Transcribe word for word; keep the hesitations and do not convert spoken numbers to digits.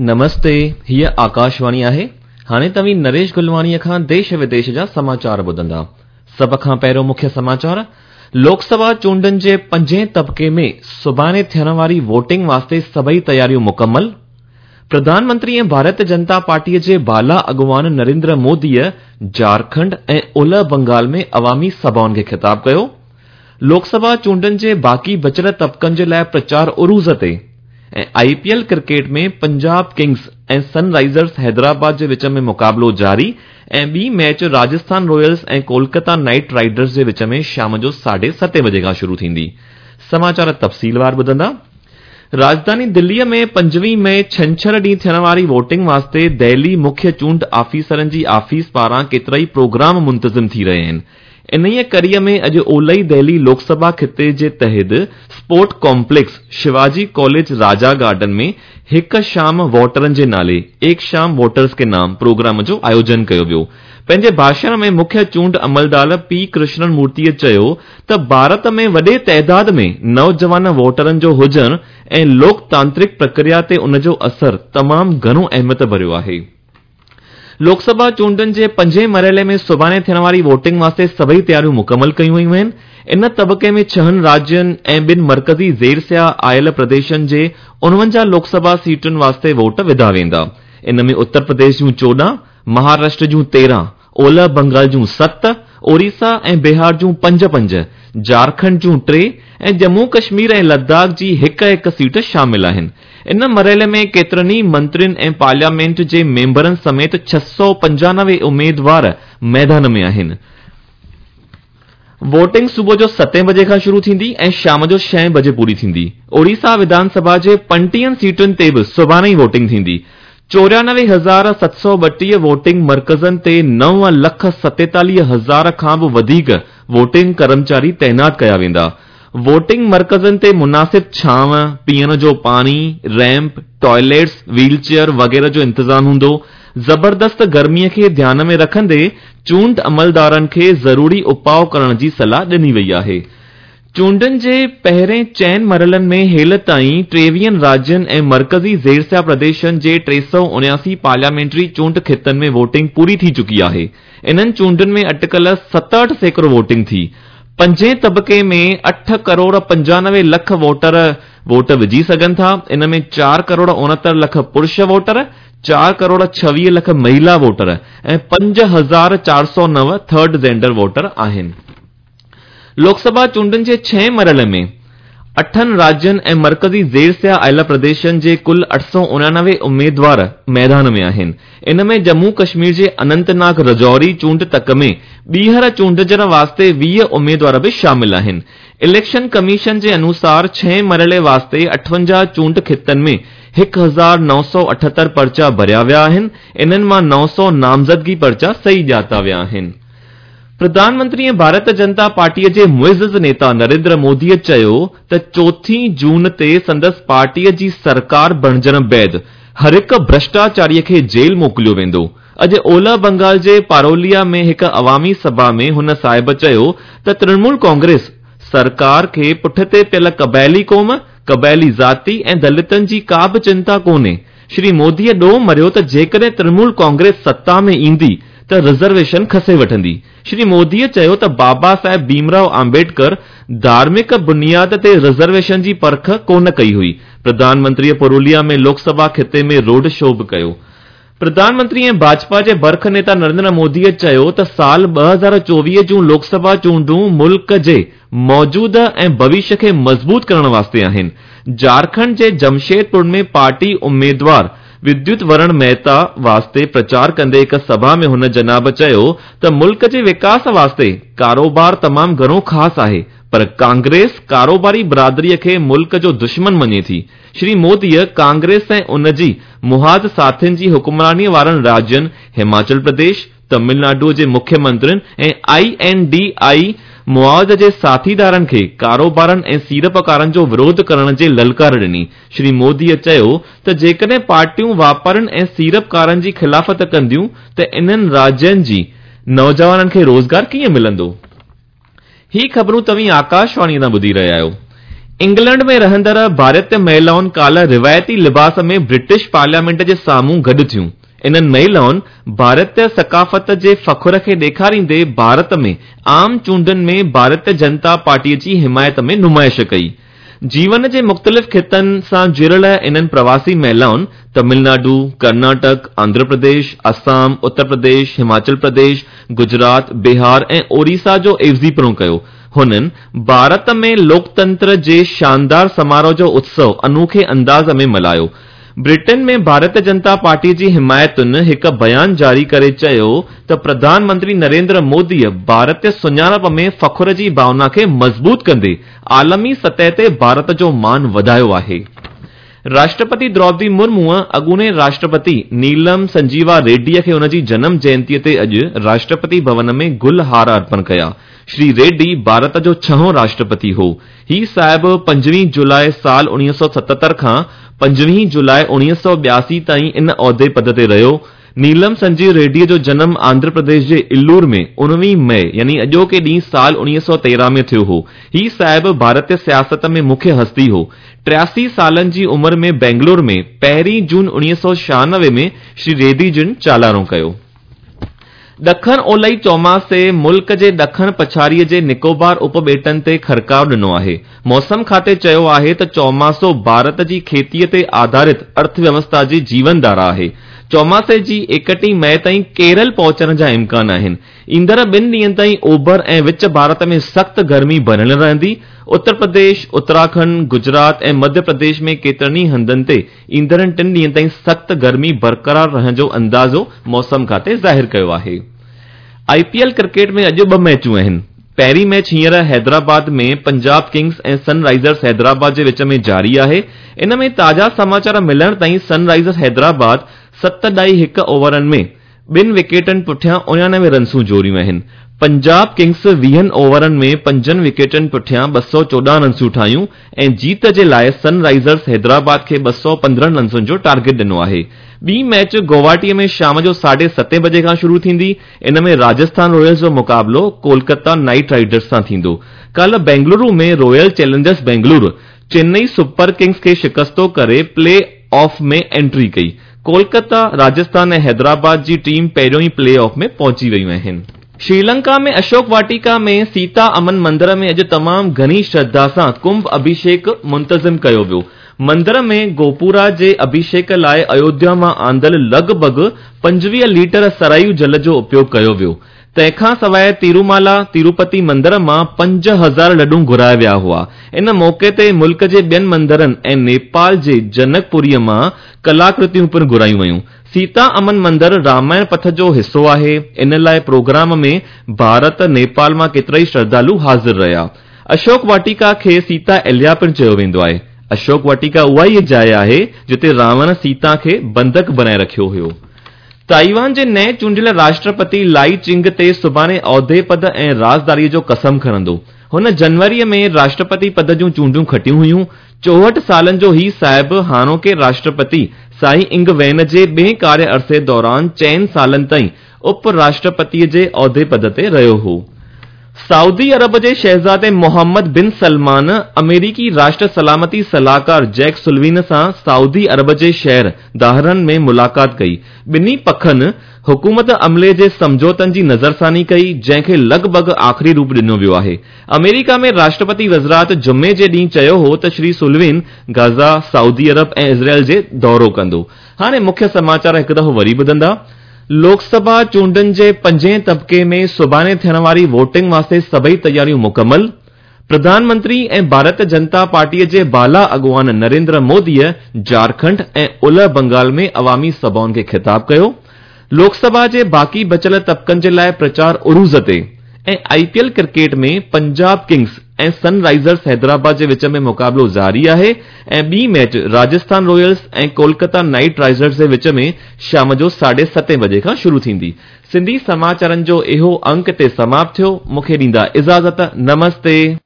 نمستي، هيء آڪاشواڻي آهي. هاڻي توهين نريش گلواڻيء کان ديش وديش جا سماچار ٻڌندا. سڀ کان پهريون مکيه سماچار، لوڪ سڀا چونڊن جي پنجين طبقي ۾ سڀاڻي ٿيڻ واري ووٽنگ واسطي سڀئي تياريون مڪمل. پرڌان منتري ۽ ڀارت جنتا پارٽيء جي بالا اڳواڻ نريندر موديء جهارکنڊ ۽ اولهه بنگال ۾ عوامي سڀائن کي خطاب ڪيو. لوڪ سڀا چونڊن جي باقي بچيل طبقن جي لاء پرچار عروج تي ۽ I P L cricket ۾ Punjab Kings ۽ sun risers Hyderabad جي وچ ۾ مقابلو جاري ۽ ٻي match Rajasthan Royals ۽ Kolkata Knight Riders جي وچ ۾ شام جو ساڍي ستين بجي کان شروع ٿيندي. سماچار تفصيلوار ٻڌندا. راڄڌاني دليء ۾ پنجويهه مئي ڇنڇر ڏينهن ٿيڻ واري ووٽنگ واسطي دهلي مکيه چونڊ آفيسرن جي آفيس پاران ڪيترائي پروگرام منتظم ٿي رهيا آهن. انهيء ڪڙيء ۾ اڄ اولهي دهلي لوڪ سڀا خطي جي تحت sport complex Shivaji college Raja garden ۾ هڪ شام ووٽرن جي نالي، ايڪ شام ووٽرز ڪي نام، پروگرام جو آيوجن ڪيو ويو. پنهنجي ڀاشڻ ۾ مکيه چونڊ عملدار پي ڪرشنن مورتيء چيو ته ڀارت ۾ وڏي تعداد ۾ نوجوان ووٽرن جو هجڻ ۽ لوڪتانترڪ پرڪريا تي ان جو اثر تمام گهڻو اهميت ڀريو آهي. لوڪ سڀا چونڊن جي پنجين مرحلي ۾ سڀاڻي ٿيڻ واري ووٽنگ واسطي سڀئي تياريون مڪمل ڪيون ويون آهن. ان طبقي ۾ ڇهن راجين ۽ ٻن مرڪزي زير سيا آيل پرديشن جي اڻونجاهه لوڪ سڀا سيٽن واسطي ووٽ وڌا ويندا. ان ۾ اتر پرديش جون چوڏهن، مهاراشٽر جون تيرهن، اولهه بنگال جون ست، اوريسا ۽ بهار جون پنج پنج، جهارکنڊ جون ٽي ۽ ڄمون ڪشمير ۽ لداخ جي هڪ هڪ سيٽ شامل آهن. ان مرحلي ۾ ڪيترن ئي منترين ۽ پارليامينٽ جي ميمبرن سميت ڇهه سؤ پنجانوي اميدوار ميدان ۾ آهن. ووٽنگ صبح جو ستين بجي کان شروع ٿيندي ۽ شام جو ڇهين بجي پوري ٿيندي. اوڙيسا وڌان سڀا جي پنٽيهن سيٽن تي به سڀاڻي ئي ووٽنگ ٿيندي. چوريانوي هزار ست سؤ ٻٽيهه ووٽنگ مرڪزن تي نو لک ستيتاليهه هزار کان به وڌيڪ ووٽنگ ڪرمچاري تعينات ڪيا ويندا. ووٽنگ مرڪزن تي مناسب ڇانو، پيئڻ جو پاڻي، ريمپ، ٽوائليٽس، ويل چيئر وغيره جو انتظام هوندو. زبردست گرميء کي ڌيان ۾ رکندي چونڊ عملدارن کي ضروري اپاء ڪرڻ جي صلاح ڏني وئي آهي. چونڊن جي پهرين چئن مرحلن ۾ هيل تائين ٽيويهن راجين ۽ مرڪزي زيرسيا پرديشن جي ٽي سؤ اڻياسي پارليامينٽري چونڊ خطن ۾ ووٽنگ پوري ٿي چڪي آهي. انهن چونڊن ۾ اٽڪل ستهٺ سيڪڙو ووٽنگ ٿي. پنجين طبقي ۾ اٺ ڪروڙ پنجانوي لک ووٽر ووٽ وجهي سگهن ٿا. ان ۾ چار ڪروڙ اڻهتر لک پرش ووٽر، چار ڪروڙ ڇويهه لک مهيلا ووٽر ۽ پنج هزار چار سؤ نو ٿرڊ جينڊر ووٽر آهن. لوڪ سڀا چونڊن جي ڇهين مرحلي ۾ اٺن راجين ۽ مرڪزي زير سيا آيل پرديشن جي ڪل اٺ سؤ اڻانوي اميدوار ميدان ۾ آهن. ان ۾ ڄمون ڪشمير جي اننت ناگ رجوري چونڊ تڪ ۾ ٻيهر چونڊجڻ واسطي ويهه اميدوار به شامل آهن. اليڪشن ڪميشن جي انوسار ڇهين مرحلي واسطي اٺونجاهه چونڊ خطن ۾ هڪ هزار نو سؤ اٺهتر پرچا ڀريا ويا آهن. انهن مان نو سؤ نامزدگي پرچا صحيح ڄاتا ويا آهن. پرڌان منتري ۽ ڀارت جنتا پارٽيء جي معزز نيتا نريندر موديء چيو ته چوٿين جون تي سندس پارٽيء جي سرڪار بڻجڻ بعد هر هڪ ڀرشٽاچاريء کي جيل موڪليو ويندو. اڄ اولهه بنگال جي پاروليا ۾ هڪ عوامي سڀا ۾ هن صاحب چيو ته ترڻمول ڪانگريس سرڪار کي پٺتي پيل قبائلي قوم، قبائلي ذاتي ۽ دلتن جي ڪا به چنتا ڪونهي. شري موديء ڏوهه مڙهيو ته جيڪڏهن ترڻمول ڪانگريس ستا ۾ ايندي ته رزرويشن کسي وٺندي. شري موديء چيو ته بابا صاحب ڀيمراؤ آمبيڊڪر ڌارمڪ بنياد تي رزرويشن جي پرک ڪونه ڪئي هئي. پرڌان منتريء پروليا ۾ لوڪ سڀا خطي ۾ روڊ شو به ڪيو. پرڌان منتري ۽ ڀاجپا جي برک نيتا نريندر موديء چيو ته سال ٻه هزار چوويهه جون لوڪ سڀا چونڊون ملڪ جي موجوده ۽ ڀوشيه کي مضبوط ڪرڻ واسطي آهن. جهارکنڊ جي جمشيدپور ۾ پارٽي اميدوار وديوت ورڻ مهتا واسطي پرچار ڪندي هڪ سڀا ۾ هن جناب چيو ته ملڪ جي وڪاس واسطي ڪاروبار تمام گهڻو خاص آهي پر ڪانگريس ڪاروباري برادريء کي ملڪ جو دشمن مڃي ٿي. شري موديء ڪانگريس ۽ ان جي محاذ ساٿين جي حڪمرانيء وارن راجين هماچل پرديش، تامل ناڊوء جي مکيه منترين ۽ I N D I محاذ جي ساٿيدارن کي ڪاروبارن ۽ سيڙپڪارن جو وروڌ ڪرڻ جي للڪار ڏني. شري موديء چيو ته جيڪڏهن پارٽيون واپارين ۽ سيڙپڪارن جي خلافت ڪنديون ته انهن راجين جي نوجوانن کي روزگار ڪيئن ملندو؟ هي خبرون توهين آڪاشواڻيء تان ٻڌي رهيا آهيو. इंग्लैंड में रहंदड़ भारतीय महिलाउनि काल्ह रिवायती लिबास में ब्रिटिश पार्लियामेंट जे साम्हूं गॾु थियूं। इन्हनि महिलाउनि भारतीय सकाफ़त जे फ़ख्र खे ॾेखारींदे भारत में आम चूंडनि में भारतीय जनता पार्टीअ जी हिमायत में नुमाइश कई। जीवन जे मुख़्तलिफ़ ख़ितनि सां जुड़ियल इन्हनि प्रवासी महिलाउनि तमिलनाडु, कर्नाटक, आंध्र प्रदेश, असम, उत्तर प्रदेश, हिमाचल प्रदेश, गुजरात, बिहार ऐं ओडिशा जो एवज़ीपणो कयो। हुननि भारत में लोकतंत्र जे शानदार समारोह जो उत्सव अनोखे अंदाज़ में मल्हायो। ब्रिटेन में भारतीय जनता पार्टी जी हिमायतुनि हिकु बयान जारी करे चयो त प्रधानमंत्री नरेंद्र मोदीअ भारतीय सुञाणप में फ़ख्र जी भावना खे मज़बूत कंदे आलमी सतह ते भारत जो मान वधायो आहे। राष्ट्रपति द्रौपदी मुर्मूअ अॻूणे राष्ट्रपति नीलम संजीवा रेड्डीअ खे हुनजी जनम जयंतीअ ते अॼु राष्ट्रपति भवन में गुल हार अर्पण कया। श्री रेड्डी भारत जो छहों राष्ट्रपति हो। ही साहिब पंजवीह जुलाई साल उणिवीह सौ सतहतरि खां पंजवीह जुलाई उणिवीह सौ ॿियासी ताईं इन औहदे पद ते रहियो। नीलम संजीव रेड्डीअ जो जनम आंध्र प्रदेश जे इल्लूर में उणिवीह मई यानी अॼोके ॾींहुं साल उणिवीह सौ तेरहं में थियो हो। ही साहिब भारतीय सियासत में मुख्य हस्ती हो। टियासी सालनि जी उमिरि में बेंगलुरु में पहिरीं जून उणिवीह सौ छियानवे में श्री रेड्डी जिन चालाणो कयो। ॾखण ओलई चौमासे मुल्क जे ॾखण पछाड़ीअ जे निकोबार उपॿेटनि ते खरकाव ॾिनो आहे। मौसम खाते चयो आहे त चौमासो भारत जी खेतीअ ते आधारित अर्थव्यवस्था जी जीवनधारा आहे। चौमासे जी एकटीह मई ताईं केरल पहुचण जा इम्कान आहिनि। ईंदड़ ॿिनि ॾींहनि ताईं ओभर ऐं विच भारत में सख़्तु गर्मी बणियल रहंदी। उत्तर प्रदेश, उत्तराखंड, गुजरात ऐं मध्य प्रदेश में केतिरनि ई हंधनि ते ईंदड़ टिनि ॾींहनि ताईं सख़्तु गर्मी बरक़रार रहण जो अंदाज़ो मौसम खाते ज़ाहिर कयो आहे। आईपीएल क्रिकेट में अॼु ॿ मैचूं आहिनि। पहिरीं मैच हींअर हैदराबाद में पंजाब किंग्स ऐं सनराइज़र्स हैदराबाद जे विच में जारी आहे। इन में ताज़ा समाचार मिलण ताईं सनराइज़र्स हैदराबाद सत ॾाई हिकु ओवरनि में ॿिनि विकेटनि पुठियां उणानवे रनसूं जोड़ियूं आहिनि। पंजाब किंग्स वीहनि ओवरनि में पंजनि विकेटनि पुठियां ॿ सौ चोॾहं रनसूं ठाहियूं ऐं जीत जे लाइ सनराइज़र्स हैदराबाद खे ॿ सौ पंद्रहं रनसुनि जो टारगेट ॾिनो आहे। ॿी मैच गुवाहाटीअ में शाम जो साढे सतें बजे खां शुरू थींदी। इन में राजस्थान रॉयल्स जो मुक़ाबिलो कोलकाता नाइट राइडर्स सां थींदो। काल्ह बेंगलुरु में Royal Challengers Bengaluru Chennai Super Kings खे शिकस्तो करे प्ले ऑफ में एंट्री कई। कोलकाता, राजस्थान ऐं हैदराबाद जी टीम पहिरियों ई प्ले ऑफ में पहुची वयूं आहिनि। श्रीलंका में अशोक वाटिका में सीता अमन मंदिर में अॼु तमामु घणी श्रद्धा सां कुंभ अभिषेक मुंतज़िम कयो वियो। मंदिर में गोपुरा जे अभिषेक लाइ अयोध्या मां आंदल लॻभॻ पंजवीह लीटर सरायू जल जो उपयोगु कयो वियो। तंहिंखां सवाइ तिरुमाला तिरुपति मंदिर मां पंज हज़ार लॾूं घुराया विया हुआ। इन मौक़े ते मुल्क जे ॿियनि मंदिरनि ऐं नेपाल जे जनकपुरीअ मां कलाकृतियूं पिणु घुरायूं वयूं। सीता अमन मंदिर रामायण पथ जो हिसो आहे। इन लाइ प्रोग्राम में भारत, नेपाल मां केतिरा ई श्रद्धालु हाज़िर रहिया। अशोक वाटिका खे सीता एलिया पिणु चयो वेंदो आहे। अशोक वाटिका उहा ई जाइ आहे जिते रावण सीता खे बंधक बनाए रखियो हुयो। ताइवान जे नए चूंडियल राष्ट्रपति लाई चिंग ते सुभाणे औहदे पद ऐं राज़दारीअ जो कसम खणंदो। हुन जनवरीअ में राष्ट्रपति पद जूं चूंडूं खटियूं हुयूं। चोहठि सालनि जो ही साहिब हाणोके राष्ट्रपति साई इंग when जे ॿिए कार्य अरसे दौरान चइनि सालनि ताईं उप राष्ट्रपतीअ जे औहदे पद ते रहियो हो। सऊदी अरब जे शहज़ादे मोहम्मद बिन सलमान अमेरिकी राष्ट्र सलामती सलाहकार जैक सुलविन सां सऊदी अरब जे शहर दाहरन में मुलाक़ात कई। ॿिन्ही पखनि हुकूमत अमले जे सम्झौतनि जी नज़रसानी कई, जंहिंखे लॻभॻ आख़िरी रूप ॾिनो वियो आहे। अमेरिका में राष्ट्रपति वज़रात जुमे जे ॾींहुं चयो हो त श्री सुलविन गाज़ा, सऊदी अरब ऐं इज़राइल जे दौरो कंदो। हाणे मुख्य समाचार हिकु दफ़ो वरी ॿुधंदा। लोकसभा चूंडनि जे पंजे तबिके में सुभाणे थियण वारी वोटिंग वास्ते सभई तयारियूं मुकमल। प्रधानमंत्री ऐं भारतीय जनता पार्टीअ जे बाला अॻुवान नरेंद्र मोदीअ झारखंड ऐं उलह बंगाल में अवामी सभाउनि खे ख़िताब कयो। लोकसभा जे बाक़ी बचियल तबिकनि जे लाइ प्रचार उरूज ते ऐं आईपीएल क्रिकेट में पंजाब किंग्स ऐं सनराइज़र्स हैदराबाद जे विच में मुक़ाबिलो जारी आहे ऐं ॿी मैच राजस्थान रॉयल्स ऐं कोलकाता नाइट राइडर्स जे विच में शाम जो साढे सतें बजे खां शुरू थींदी। सिंधी समाचारनि जो इहो अंक ते समाप्त थियो। मूंखे ॾींदा इजाज़त। नमस्ते।